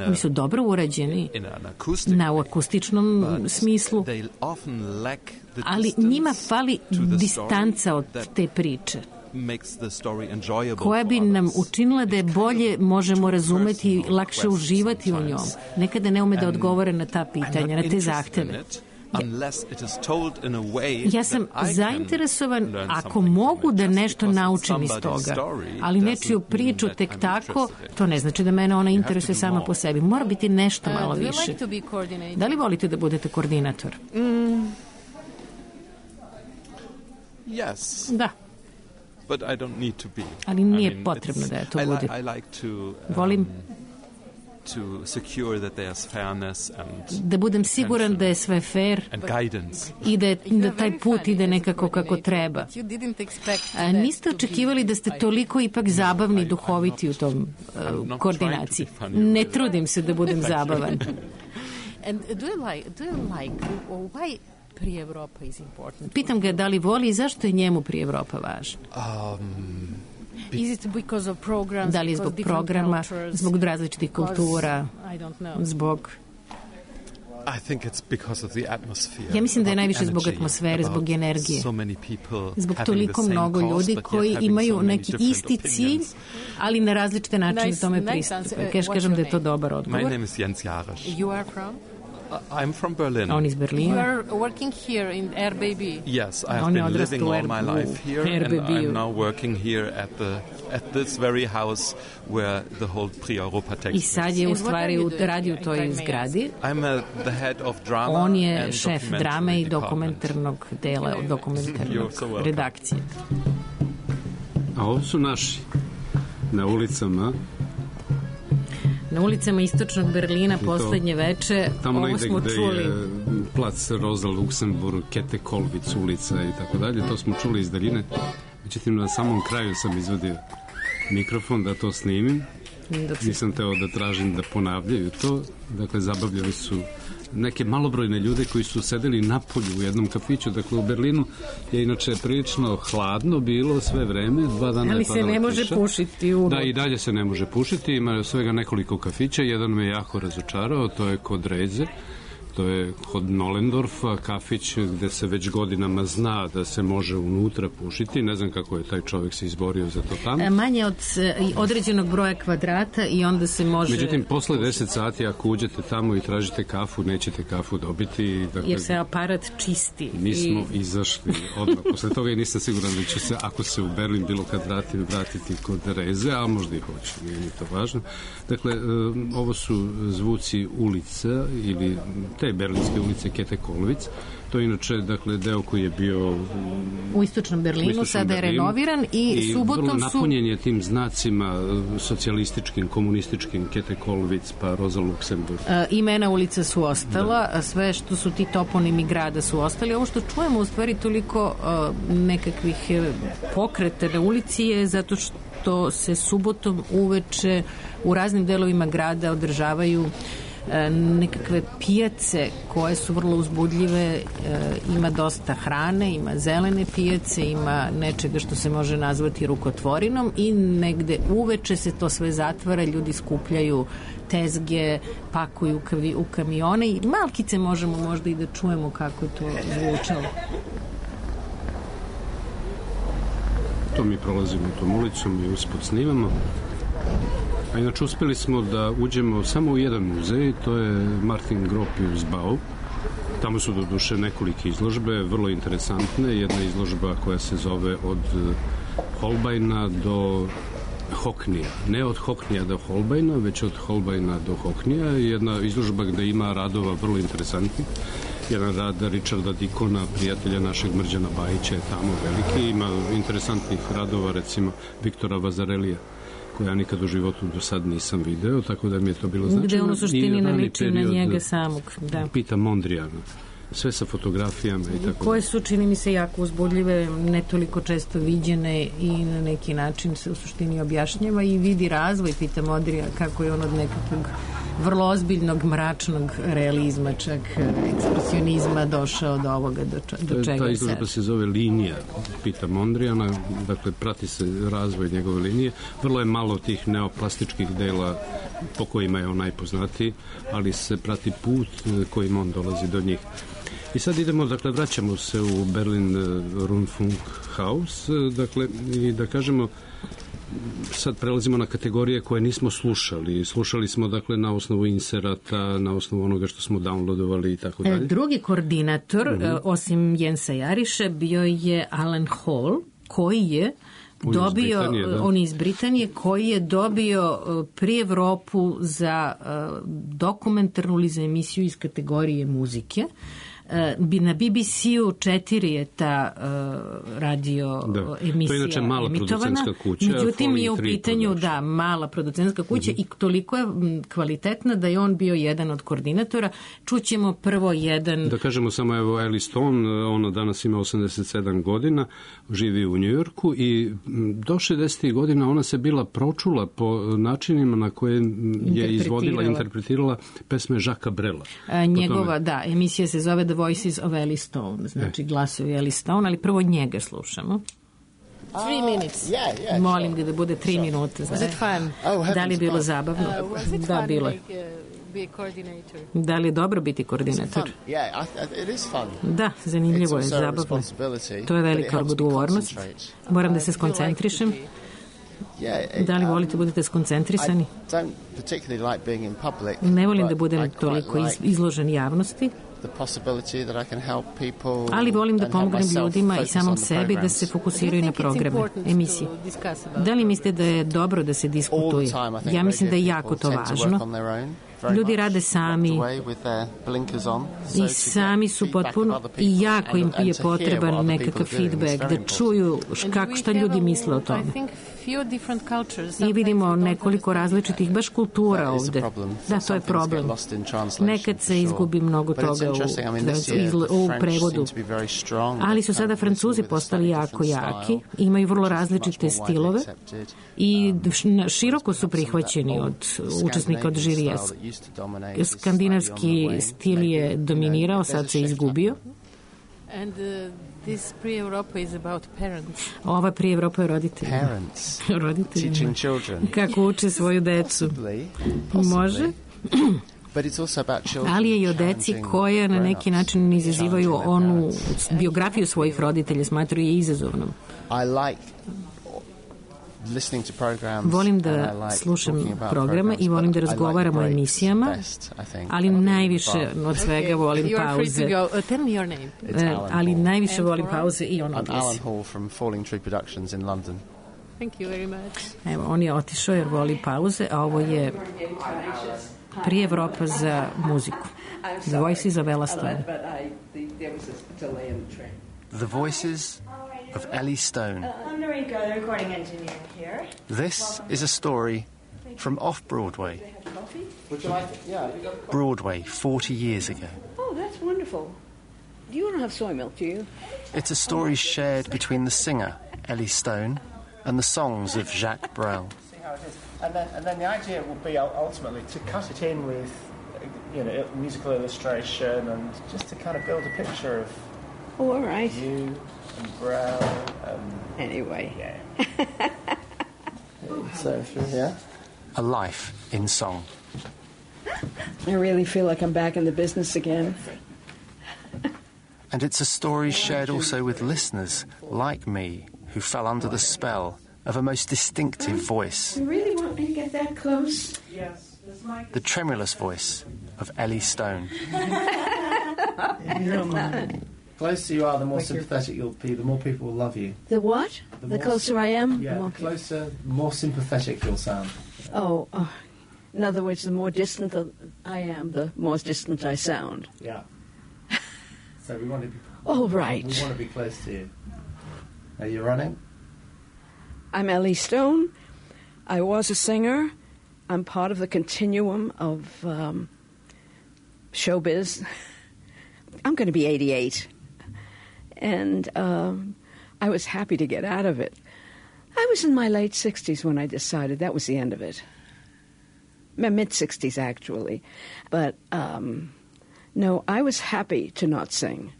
E: Oni su dobro urađeni na u akustičnom smislu, ali njima fali distanca od te priče koja bi nam učinila da je bolje možemo razumeti i lakše uživati u njom. Nekada ne ume da odgovore na ta pitanja, na te zahteve. Ja sam zainteresovan ako mogu da nešto naučim iz toga, ali nečiju priču tek tako, to ne znači da mene ona interesuje sama po sebi. Mora biti nešto malo više. Da li volite da budete koordinator? Da. Ali nije potrebno da ja to budem. Volim
M: to secure that there's fairness and
E: da budem siguran da je sve fair i da, da taj put ide nekako kako treba. A niste očekivali da ste toliko ipak zabavni i duhoviti u tom uh, koordinaciji. Ne trudim se da budem zabavan.
H: And do you like, do you like, why Prije Evropa is important?
E: Pitam ga da li voli i zašto je njemu Prije Evropa važna?
M: Um,
H: Is it because of programs,
E: da li je zbog programa, zbog različitih kultura, zbog...
M: I think it's because of the atmosphere.
E: Ja mislim da je najviše zbog atmosfere, zbog energije. Zbog toliko mnogo ljudi koji imaju neki isti cilj, ali na različite načine tome pristupe. Kažem da je to dobar odgovor.
M: My name is Jens Jarisch.
H: You are from?
M: I'm from Berlin.
E: On iz Berlina.
H: You are working here in R B B.
M: Yes, I have been living all my life here, and I'm now working here at the at this very house where the whole Prix Europa takes place.
E: I sad je u stvari radi u toj zgradi.
M: I'm a, the head of drama.
E: On je šef drame i dokumentarnog dela, dokumentarnog redakcije.
C: A ovo su naši na ulicama.
E: Na ulicama istočnog Berlina poslednje veče, ovo smo čuli. Tamo negde gde je
C: plac Rosa Luxemburg, Kete Kolvic ulica i tako dalje, to smo čuli iz daljine. Međutim, na samom kraju sam izvadio mikrofon da to snimim. Nisam teo da tražim da ponavljaju to. Dakle, zabavljali su neke malobrojne ljude koji su sedeli napolju u jednom kafiću. Dakle, u Berlinu je inače prilično hladno bilo sve vreme. Dva dana
E: ali se ne može kiša. Pušiti u...
C: Da, i dalje se ne može pušiti. Ima svega nekoliko kafića. Jedan me jako razočarao, to je kod Reze, To je kod Nolendorfa, kafić gde se već godinama zna da se može unutra pušiti. Ne znam kako je taj čovjek se izborio za to tamo.
E: Manje od određenog broja kvadrata i onda se može...
C: Međutim, posle deset sati ako uđete tamo i tražite kafu, nećete kafu dobiti. Dakle,
E: jer se aparat čisti.
C: Mi smo i... izašli odmah. Posle toga i nisam siguran da ću se, ako se u Berlin bilo kad vratim, vratiti kod Reze, a možda i hoće, nije mi to važno. Dakle, ovo su zvuci ulica ili te berlinske ulice Kete Kolvic. To je inače, dakle, deo koji je bio
E: u istočnom Berlinu, u istočnom sada je Berlinu, renoviran i, i subotom su...
C: I vrlo napunjen je tim znacima socijalističkim, komunističkim, Kete Kolvic, pa Roza Luxemburg.
E: E, imena ulica su ostala, da. Sve što su ti toponimi grada su ostali. Ovo što čujemo u stvari toliko uh, nekakvih pokreta na ulici je zato što se subotom uveče u raznim delovima grada održavaju nekakve pijace koje su vrlo uzbudljive, ima dosta hrane, ima zelene pijace, ima nečega što se može nazvati rukotvorinom i negde uveče se to sve zatvara, ljudi skupljaju tezge, pakuju u kamione i malkice možemo možda i da čujemo kako je to zvučalo.
C: To mi prolazimo tom ulicom i uspod snimamo. A inače uspeli smo da uđemo samo u jedan muzej, to je Martin Gropius Bau. Tamo su do duše nekolike izložbe, vrlo interesantne. Jedna izložba koja se zove od Holbeina do Hockneya. Ne od Hockneya do Holbeina, već od Holbeina do Hockneya. Jedna izložba gde ima radova vrlo interesantnih. Jedan rad Richarda Dikona, prijatelja našeg Mrđana Bajića, je tamo veliki. Ima interesantnih radova, recimo Viktora Vazarelija, koje ja nikad u životu do sad nisam video, tako da mi je to bilo značajno.
E: Gde on u suštini ne liči na njega samog. Da.
C: Pita Mondrijana. Sve sa fotografijama i tako.
E: Koje su, čini mi se, jako uzbudljive, ne toliko često viđene i na neki način se u suštini objašnjava i vidi razvoj Pita Mondrija, kako je on od nekakvog vrlo ozbiljnog, mračnog realizma, čak ekspresionizma došao do ovoga, do, do čega
C: ta
E: je
C: izložba
E: sad.
C: Se zove Linija Pita Mondrijana, dakle prati se razvoj njegove linije. Vrlo je malo tih neoplastičkih dela po kojima je on najpoznatiji, ali se prati put kojim on dolazi do njih. I sad idemo, dakle, vraćamo se u Berlin Rundfunkhaus, dakle, i da kažemo, sad prelazimo na kategorije koje nismo slušali. Slušali smo, dakle, na osnovu inserata, na osnovu onoga što smo downloadovali i tako dalje.
E: Drugi koordinator, uh-huh. osim Jensa Jariša, bio je Alan Hall, koji je On dobio, iz on iz Britanije, koji je dobio pri Evropu za dokumentarnu ili za emisiju iz kategorije muzike. Na B B C-u četiri je ta uh, radio da. emisija
C: to je inače mala
E: emitovana.
C: Kuća,
E: međutim je u pitanju da, mala producentska kuća mm-hmm. i toliko je kvalitetna da je on bio jedan od koordinatora. Čućemo prvo jedan...
C: Da kažemo samo, evo, Ellie Stone, ona danas ima osamdeset sedam godina, živi u Njujorku i do šezdesetih godina ona se bila pročula po načinima na koje je izvodila, interpretirala pesme Jacquesa Brela.
E: A, njegova, da, emisija se zove The Voices of Ellie Stone, znači glasovi Ellie Stone, ali prvo njega slušamo.
H: Three minutes.
K: Uh, yeah, yeah,
E: Molim ga da bude tri sure. minute.
H: Was it fun?
K: Oh,
E: da li je bilo zabavno?
H: Uh, was it
E: da,
H: fun
E: bilo.
H: Like, uh, be a coordinator?
E: Da li je dobro biti koordinator?
K: Yeah, I, it is fun.
E: Da, zanimljivo je, zabavno. To je velika odgovornost. Moram da se skoncentrišem.
K: Yeah,
E: da li volite budete skoncentrisani?
K: Like
E: ne volim da budem toliko iz, izložen javnosti, ali volim da pomognem ljudima i samom sebi da se fokusiraju na programe, emisije. Da li mislite da je dobro da se diskutuje? Ja mislim da je jako to važno. Ljudi rade sami i sami su potpuno i jako im je potreban nekakav feedback, da čuju kako, šta ljudi misle o tome. I vidimo nekoliko različitih baš kultura ovde. Da, to je problem. Nekad se izgubi mnogo toga u, u prevodu. Ali su sada Francuzi postali jako jaki, imaju vrlo različite stilove i široko su prihvaćeni od učesnika od žirija. Skandinavski stil je dominirao, sad se izgubio.
H: And uh, this pre-Europa is about parents.
E: Ova pre-Europa je roditelj.
K: Parents.
E: Roditelji.
K: Teaching children.
E: Kako uče svoju decu.
K: Possibly.
E: Može? ali je i o deci koja na neki način izazivaju onu biografiju svojih roditelja, smatruju je izazovnom. Volim da slušam programe i volim da razgovaram o emisijama, ali najviše od svega volim pauze. Ali najviše volim pauze i on odlazi.
N: Alan Hall from Falling Tree Productions in London.
H: Thank you very much.
E: Evo, on je otišao jer voli pauze, a ovo je Prix Evropa za muziku. The Voices of Ella Stone.
N: The Voices of Ellie Stone.
O: I'm Noriko, the recording engineer here.
N: This is a story from off-Broadway.
O: Would you like it? Yeah.
N: Broadway, forty years ago.
K: Oh, that's wonderful. You don't have soy milk, do you?
N: It's a story shared between the singer, Ellie Stone, and the songs of Jacques Brel.
P: See how it is. And then, and then the idea will be ultimately to cut it in with, you know, musical illustration and just to kind of build a picture of
K: oh, all right.
P: you and Brel and...
K: Anyway.
P: Yeah. So, through here.
N: A life in song.
K: I really feel like I'm back in the business again.
N: And it's a story shared also with listeners like me, who fell under the spell of a most distinctive voice.
K: You really want me to get that close?
P: Yes.
N: The tremulous voice of Ellie Stone.
P: The closer you are, the more sympathetic you'll be, the more people will love you.
K: The what?
P: The,
K: the closer I am?
P: Yeah, the closer, the more sympathetic you'll sound.
K: Oh, oh, in other words, the more distant I am, the more distant I sound.
P: Yeah. So we want to be...
K: All right.
P: We want to be close to you. Are you running?
K: I'm Ellie Stone. I was a singer. I'm part of the continuum of um, showbiz. I'm going to be eighty-eight. And um, I was happy to get out of it. I was in my late sixties when I decided that was the end of it. My mid-sixties, actually. But, um, no, I was happy to not sing.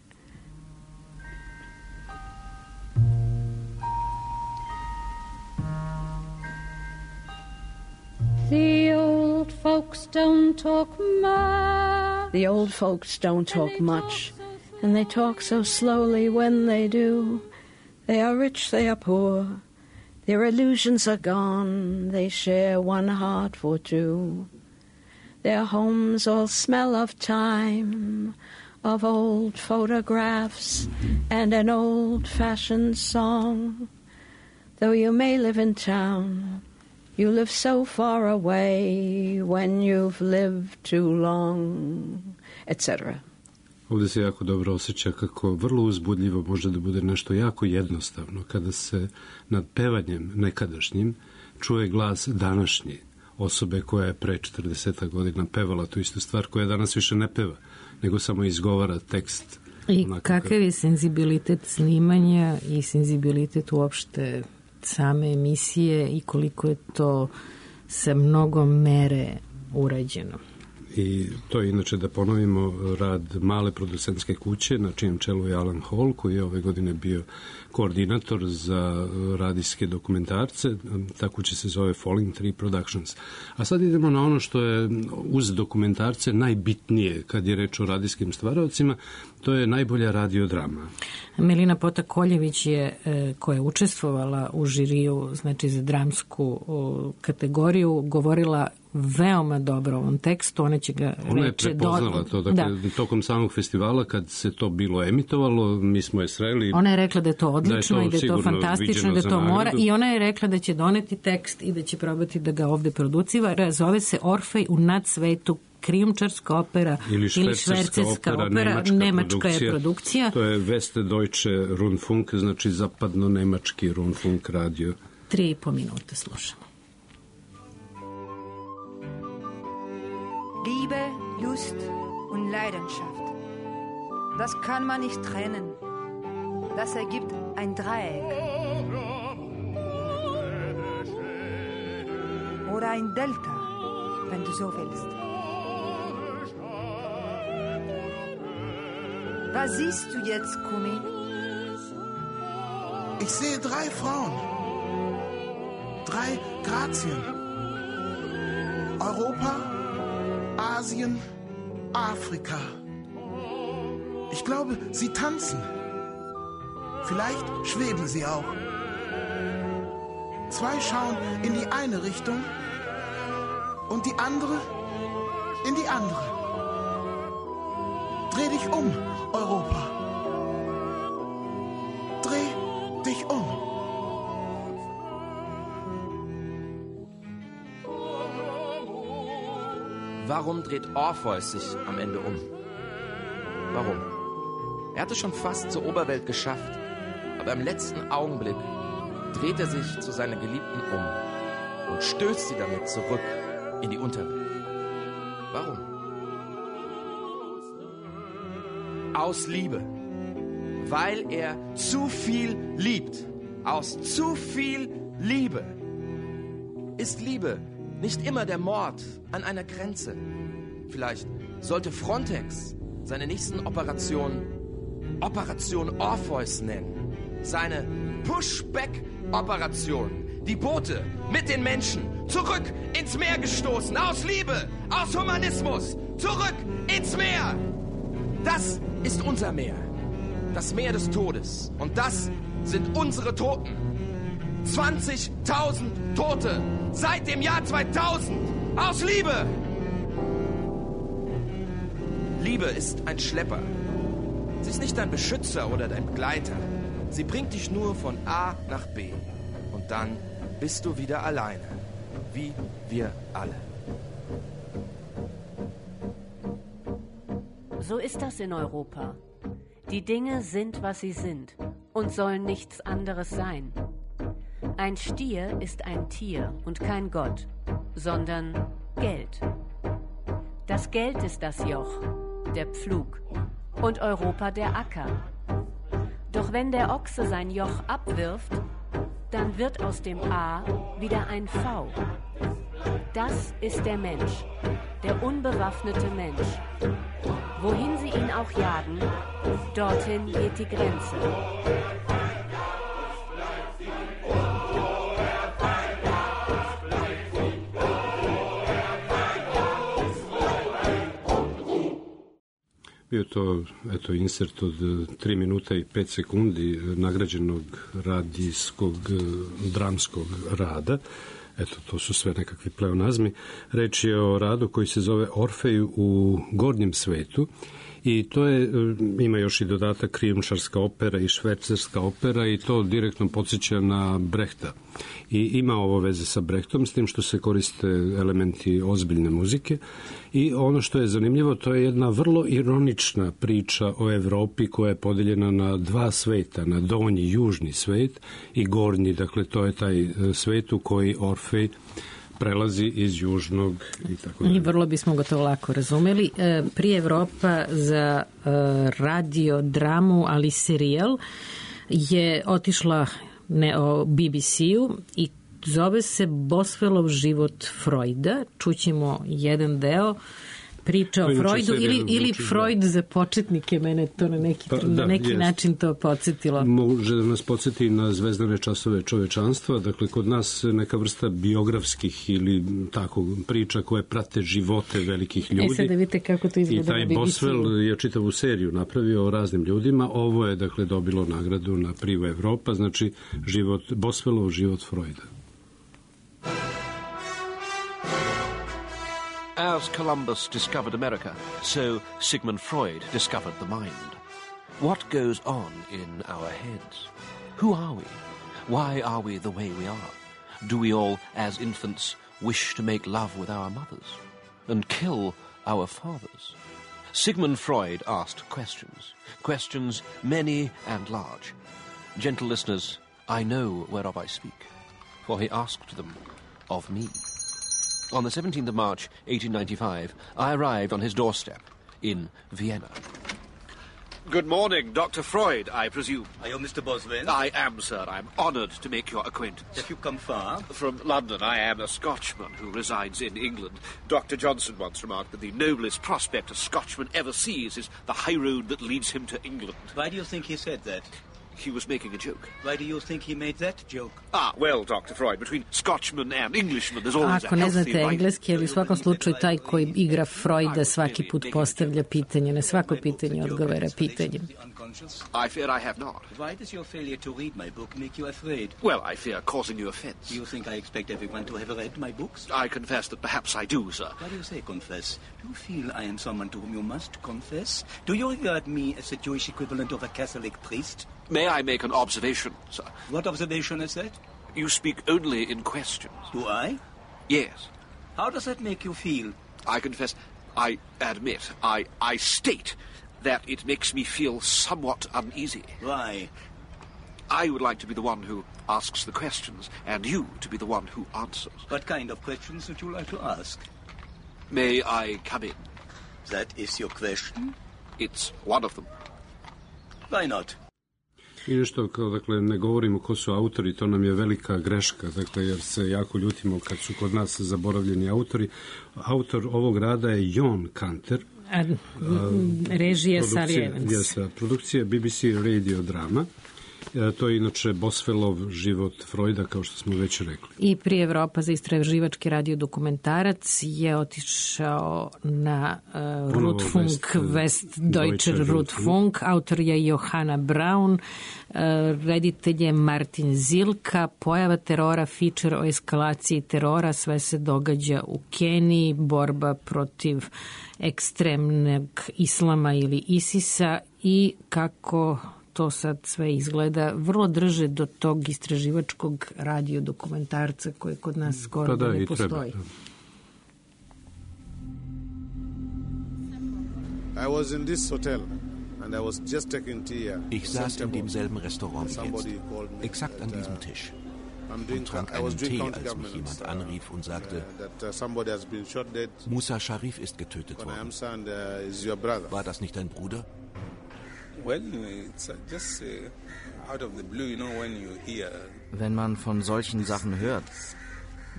Q: The old folks don't talk much.
K: The old folks don't talk much, and they talk so slowly when they do. They are rich, they are poor. Their illusions are gone. They share one heart for two. Their homes all smell of time, of old photographs and an old-fashioned song. Though you may live in town, you live so far away when you've lived too long, et cetera.
C: Ovdje se jako dobro osjeća kako vrlo uzbudljivo može da bude nešto jako jednostavno kada se nad pevanjem nekadašnjim čuje glas današnji osobe koja je pre četrdeset godina pevala tu istu stvar, koja danas više ne peva, nego samo izgovara tekst.
E: I kakav je senzibilitet snimanja i senzibilitet uopšte same emisije i koliko je to sa mnogo mere urađeno.
C: I to je inače, da ponovimo, rad male producentske kuće na čijem čelu je Alan Hall, koji je ove godine bio koordinator za radijske dokumentarce. Ta kuća se zove Falling Tree Productions. A sad idemo na ono što je uz dokumentarce najbitnije kad je reč o radijskim stvaraocima, to je najbolja radiodrama.
E: Melina Pota-Koljević je, koja je učestvovala u žiriju, znači za dramsku kategoriju, govorila veoma dobro o ovom tekstu. Ona će ga
C: Ona je
E: reče
C: prepoznala
E: do...
C: to. Dakle,
E: da.
C: Tokom samog festivala, kad se to bilo emitovalo, mi smo je sreli.
E: Ona je rekla da je to odlično
C: da je to
E: i da je to fantastično, da je to mora. I ona je rekla da će doneti tekst i da će probati da ga ovde producira. Zove se Orfej u nadsvetu, krijumčarska opera ili švercerska opera, opera, nemačka, nemačka produkcija. Je produkcija.
C: To je Westdeutsche Rundfunk, znači zapadno-nemački Rundfunk radio.
E: Tri i po minuta slušamo.
R: Liebe, Lust und Leidenschaft. Das kann man nicht trennen. Das ergibt ein Dreieck. Oder ein Delta, wenn du so willst. Was siehst du jetzt, Kumi?
S: Ich sehe drei Frauen. Drei Grazien. Europa, Asien, Afrika. Ich glaube, sie tanzen. Vielleicht schweben sie auch. Zwei schauen in die eine Richtung und die andere in die andere. Dreh dich um, Europa. Dreh dich um.
T: Warum dreht Orpheus sich am Ende um? Warum? Er hatte schon fast zur Oberwelt geschafft, aber im letzten Augenblick dreht er sich zu seiner Geliebten um und stößt sie damit zurück in die Unterwelt. Warum? Aus Liebe. Weil er zu viel liebt. Aus zu viel Liebe. Ist Liebe nicht immer der Mord an einer Grenze? Vielleicht sollte Frontex seine nächsten Operationen Operation Orpheus nennen. Seine Pushback-Operation. Die Boote mit den Menschen zurück ins Meer gestoßen. Aus Liebe, aus Humanismus. Zurück ins Meer. Das ist unser Meer. Das Meer des Todes. Und das sind unsere Toten. zwanzigtausend Tote seit dem Jahr zweitausend. Aus Liebe. Liebe ist ein Schlepper. Sie ist nicht dein Beschützer oder dein Begleiter. Sie bringt dich nur von A nach B. Und dann bist du wieder alleine. Wie wir alle.
U: So ist das in Europa. Die Dinge sind, was sie sind und sollen nichts anderes sein. Ein Stier ist ein Tier und kein Gott, sondern Geld. Das Geld ist das Joch, der Pflug und Europa der Acker. Doch wenn der Ochse sein Joch abwirft, dann wird aus dem A wieder ein V. Das ist der Mensch, der unbewaffnete Mensch. Wohin sie ihn auch jagen, dorthin geht die Grenze.
C: Bio to, eto, insert od tri minuta i pet sekundi nagrađenog radijskog dramskog rada. Eto, to su sve nekakvi pleonazmi. Reč je o radu koji se zove Orfej u gornjem svetu i to je, ima još i dodatak krijumčarska opera i švajcarska opera i to direktno podsjeća na Brehta. I ima ovo veze sa Brehtom, s tim što se koriste elementi ozbiljne muzike. I ono što je zanimljivo, to je jedna vrlo ironična priča o Evropi koja je podeljena na dva sveta, na donji južni svet i gornji, dakle to je taj svet u koji Orfej prelazi iz južnog i tako dalje.
E: I vrlo bismo ga to lako razumeli. Prije Evropa za radio, dramu, ali serijal je otišla ne, o B B C-u i zove se Boswellov život Freuda. Čućemo jedan deo priča o Freudu ili, ili Freud za početnike, mene to na neki, pa, da, na neki način to podsjetilo.
C: Može da nas podsjeti na zvezdane časove čovečanstva, dakle kod nas neka vrsta biografskih ili tako priča koje prate živote velikih ljudi.
E: E sad da vidite kako to izgleda.
C: I taj Boswell je čitavu seriju napravio o raznim ljudima. Ovo je dakle dobilo nagradu na Privo Evropa, znači život, Boswellov život Freuda.
V: As Columbus discovered America, so Sigmund Freud discovered the mind. What goes on in our heads? Who are we? Why are we the way we are? Do we all, as infants, wish to make love with our mothers and kill our fathers? Sigmund Freud asked questions, questions many and large. Gentle listeners, I know whereof I speak, for he asked them of me. On the seventeenth of March, eighteen ninety-five, I arrived on his doorstep in Vienna. Good morning, Doctor Freud, I presume.
W: Are you Mister Boswell?
V: I am, sir. I'm honoured to make your acquaintance.
W: Have you come far?
V: From London. I am a Scotchman who resides in England. Doctor Johnson once remarked that the noblest prospect a Scotchman ever sees is the high road that leads him to England.
W: Why do you think he said that?
V: he was making a joke.
B: Why do you think he made that joke?
V: Ah, well, Doctor Freud, between Scotchmen and Englishmen there's always
E: Ako
V: a
E: ne
V: healthy
E: znate
V: right...
E: engleski, ali u svakom slučaju taj koji igra Freuda svaki put postavlja pitanje, na svako pitanje odgovara pitanjem.
V: I fear I have not.
B: Why does your failure to read my book make you afraid?
V: Well, I fear causing you offense.
B: Do you think I expect everyone to have read my books?
V: I confess that perhaps I do, sir.
B: Why do you say confess? Do you feel I am someone to whom you must confess? Do you regard me as the Jewish equivalent of a Catholic priest?
V: May I make an observation, sir?
B: What observation is that?
V: You speak only in questions.
B: Do I?
V: Yes.
B: How does that make you feel?
V: I confess, I admit, I, I state that it makes me feel somewhat uneasy.
B: Why?
V: I would like to be the one who asks the questions, and you to be the one who answers.
B: What kind of questions would you like to ask?
V: May I come in?
B: That is your question?
V: It's one of them.
B: Why not?
C: I nešto, kao, dakle, ne govorimo ko su autori, to nam je velika greška, dakle, jer se jako ljutimo kad su kod nas zaboravljeni autori. Autor ovog rada je John Kanter.
E: A, režija Sally Evans.
C: Jeste, produkcija B B C radio drama. E, to je inače Boswellov život Freuda, kao što smo već rekli.
E: I prije Evropa za istraživački radio dokumentarac je otišao na uh, Rundfunk, Westdeutscher Rundfunk. Autor je Johanna Braun, uh, reditelj je Martin Zilka. Pojava terora, feature o eskalaciji terora, sve se događa u Keniji, borba protiv ekstremnog islama ili ISIS-a i kako to sad sve izgleda, vrlo drže do tog istraživačkog radio dokumentarca koji kod nas skoro pa da, ne postoji.
D: I was in this hotel and I was just taking tea.
V: Ich saß in demselben Restaurant wie jetzt, exakt an diesem Tisch. Und trank einen Tee, als mich jemand anrief und sagte, Musa Sharif ist getötet worden. War das nicht dein Bruder?
W: Wenn man von solchen Sachen hört,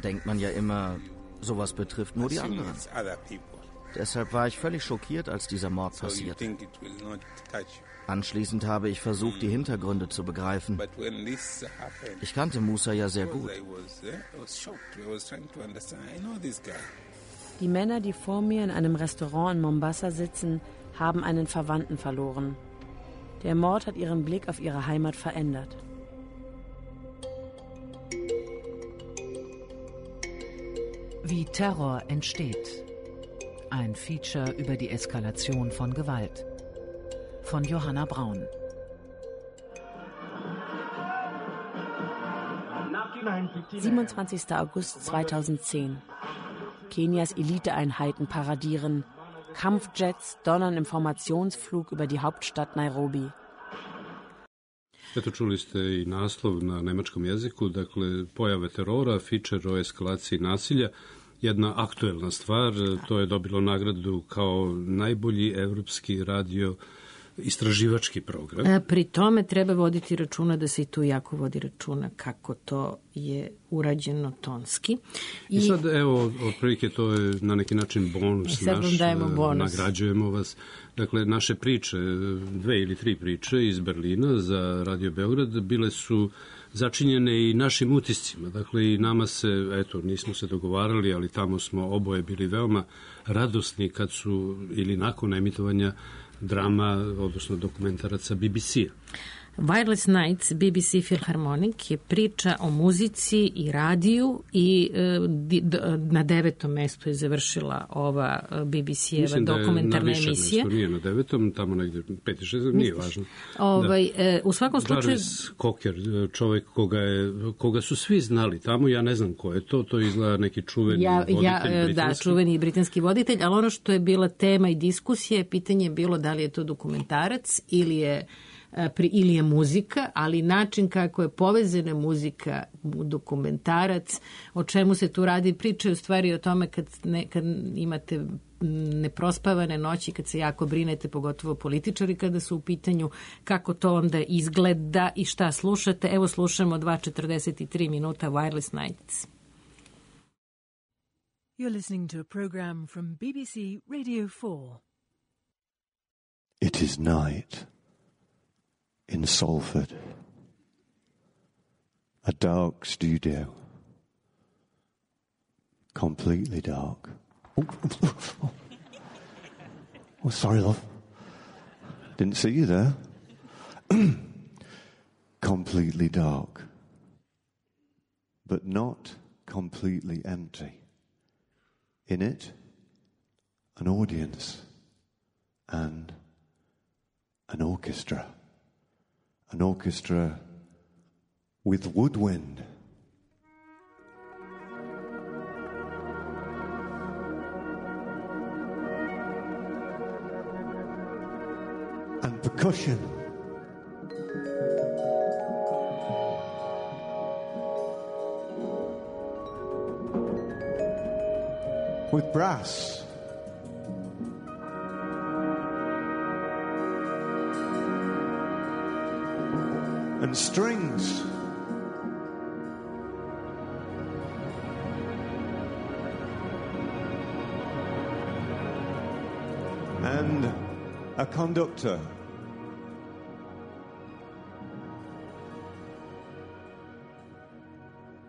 W: denkt man ja immer, sowas betrifft nur die anderen. Deshalb war ich völlig schockiert, als dieser Mord passierte. Anschließend habe ich versucht, die Hintergründe zu begreifen. Ich kannte Musa ja sehr gut.
K: Die Männer, die vor mir in einem Restaurant in Mombasa sitzen, haben einen Verwandten verloren. Der Mord hat ihren Blick auf ihre Heimat verändert.
U: Wie Terror entsteht. Ein Feature über die Eskalation von Gewalt. Von Johanna Braun.
K: siebenundzwanzigster August zweitausendzehn. Kenias Eliteeinheiten paradieren. Kampfjets donnern im Formationsflug über die Hauptstadt Nairobi.
C: Eto, čuli ste i naslov na nemačkom jeziku, dakle, pojave terora, feature o eskalaciji nasilja, jedna aktuelna stvar, to je dobilo nagradu kao najbolji evropski radio istraživački program.
E: Pri tome treba voditi računa da se i tu jako vodi računa kako to je urađeno tonski.
C: I, I sad, evo, otprilike to je na neki način bonus naš,
E: bonus.
C: Nagrađujemo vas. Dakle, naše priče, dve ili tri priče iz Berlina za Radio Beograd bile su začinjene i našim utiscima. Dakle, i nama se, eto, nismo se dogovarali, ali tamo smo oboje bili veoma radosni kad su, ili nakon emitovanja drama, odnosno dokumentaraca B B C-a.
E: Wireless Nights, B B C Philharmonic je priča o muzici i radiju i e, d, na devetom mestu je završila ova B B C-eva dokumentarna emisija.
C: Mislim da je na više mesto, nije na devetom, tamo negde pet i šest, nije važno.
E: Ovaj, da. e, u svakom slučaju...
C: Jarvis Cocker, čovjek koga, je, koga su svi znali tamo, ja ne znam ko je to, to izgleda neki čuveni
E: ja,
C: voditelj
E: ja,
C: britanski.
E: Da, čuveni britanski voditelj, ali ono što je bila tema i diskusija, pitanje je bilo da li je to dokumentarac ili je Pri, ili je muzika, ali način kako je povezana muzika u dokumentarac, o čemu se tu radi, pričaju stvari o tome kad, ne, kad imate neprospavane noći, kad se jako brinete, pogotovo političari kada su u pitanju, kako to onda izgleda i šta slušate. Evo slušamo dva četrdeset tri minuta Wireless Nights.
X: You're listening to a program from B B C Radio four.
Y: It is night in
A: in Salford. A dark studio. Completely dark. Oh, oh, oh. Oh, sorry, love. Didn't see you there. Completely dark. But not completely empty. In it, an audience and an orchestra. An orchestra with woodwind. And percussion. With brass. And strings. And a conductor.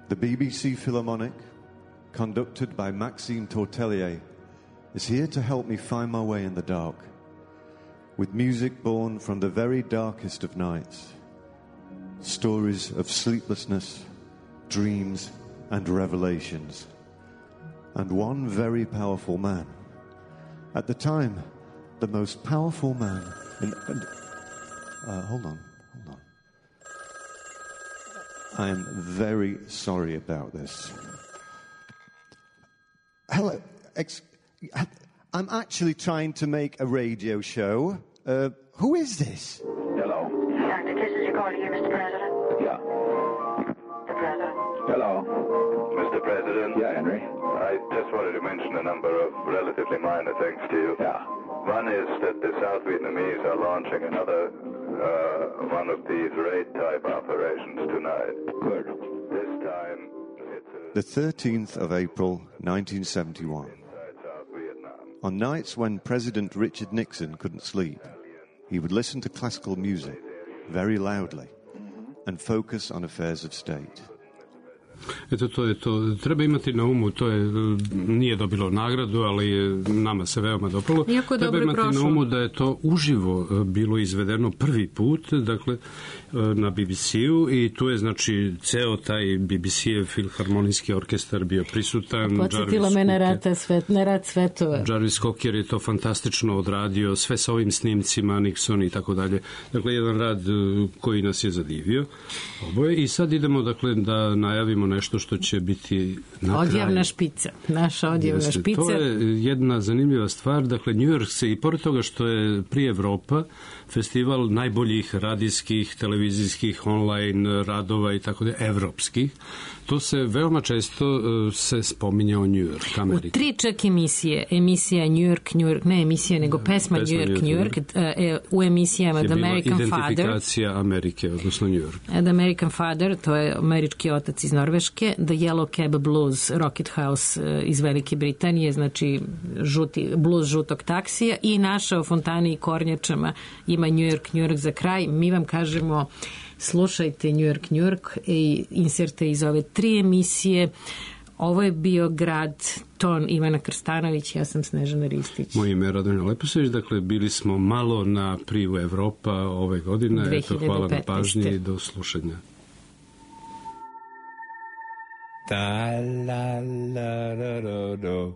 A: The B B C Philharmonic, conducted by Maxime Tortelier, is here to help me find my way in the dark, with music born from the very darkest of nights, stories of sleeplessness, dreams, and revelations, and one very powerful man, at the time, the most powerful man in... Uh, hold on, hold on. I am very sorry about this. Hello, ex- I'm actually trying to make a radio show. Uh, who is this?
F: Hello.
G: Doctor Kiss, is you calling here, Mister President?
F: Yeah.
G: The President.
F: Hello.
L: Mister President?
F: Yeah, Henry?
L: I just wanted to mention a number of relatively minor things to you.
F: Yeah.
L: One is that the South Vietnamese are launching another uh, one of these raid-type operations tonight.
F: Good.
L: This time, it's a...
A: The thirteenth of April, nineteen seventy-one. On nights when President Richard Nixon couldn't sleep, he would listen to classical music very loudly and focus on affairs of state.
C: Eto, to je to. Treba imati na umu, to je, nije dobilo nagradu, ali je, nama se veoma dopalo. Treba imati prošlo. Na umu da je to uživo bilo izvedeno prvi put, dakle, na B B C-u i tu je, znači, ceo taj B B C-ev filharmonijski orkestar bio prisutan.
E: Podsjetilo me na rad, svet, na rad svetova.
C: Jarvis Cocker je to fantastično odradio, sve sa ovim snimcima, Nixon i tako dalje. Dakle, jedan rad koji nas je zadivio. Oboje. I sad idemo, dakle, da najavimo nešto što će biti na kraju.
E: Odjavna špica. Naša odjavna
C: Jeste,
E: špica.
C: To je jedna zanimljiva stvar. Dakle, New York se, i pored toga što je prije Evropa, festival najboljih radijskih, televizijskih, online radova i tako da, evropskih, to se veoma često uh, se spominje o New York, Amerika.
E: U tri čak emisije, emisija New York, New York, ne emisija, nego pesma, pesma New York, New York, New York. Uh, u emisijama The American Father.
C: Identifikacija Amerike, odnosno New York.
E: The American Father, to je američki otac iz Norveške, The Yellow Cab Blues, Rocket House uh, iz Velike Britanije, znači žuti, blues žutog taksija, i naša o fontani i kornjačama ima New York, New York za kraj. Mi vam kažemo, slušajte New York, New York i inserte iz ove tri emisije. Ovo je bio grad, ton Ivana Krstanović, ja sam Snežana Ristić.
C: Moje ime je Radonja Leposević, dakle bili smo malo na privu Evropa ove godine. Eto, hvala na pažnji i do slušanja.
I: Da la la da do do,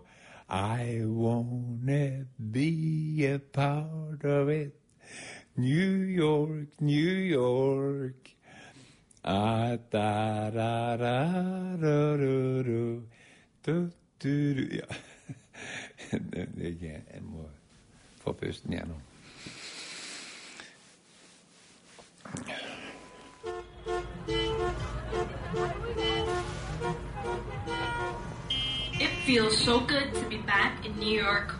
I: I wanna be a part of it. New York, New York. Ah, da da da da do do do do do. Ja. Ja, en må få pusten gjennom.
Y: It feels so good to be back in New York.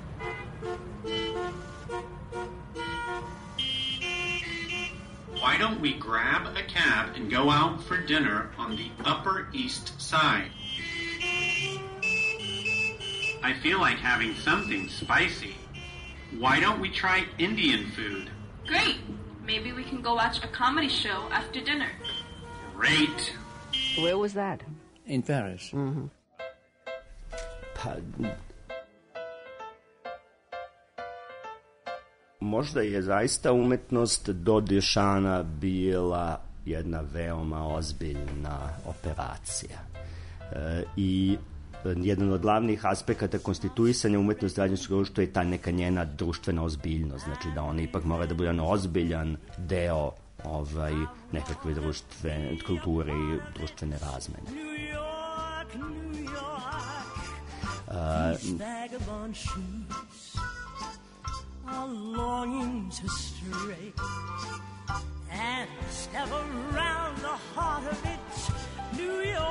Z: Why don't we grab a cab and go out for dinner on the Upper East Side? I feel like having something spicy. Why don't we try Indian food?
Y: Great! Maybe we can go watch a comedy show after dinner.
Z: Great.
F: Where was that?
B: In Paris.
F: Mm-hmm.
H: Pa, možda je zaista umetnost do Duchampa bila jedna veoma ozbiljna operacija. E, I jedan od glavnih aspekata konstituisanja umetnosti građanskog društva je ta neka njena društvena ozbiljnost. Znači da ona ipak mora da bude jedan ozbiljan deo ovaj, nekakve društvene kulture i društvene razmene. Uh,
J: are longing to stray and step around the heart of it, New York.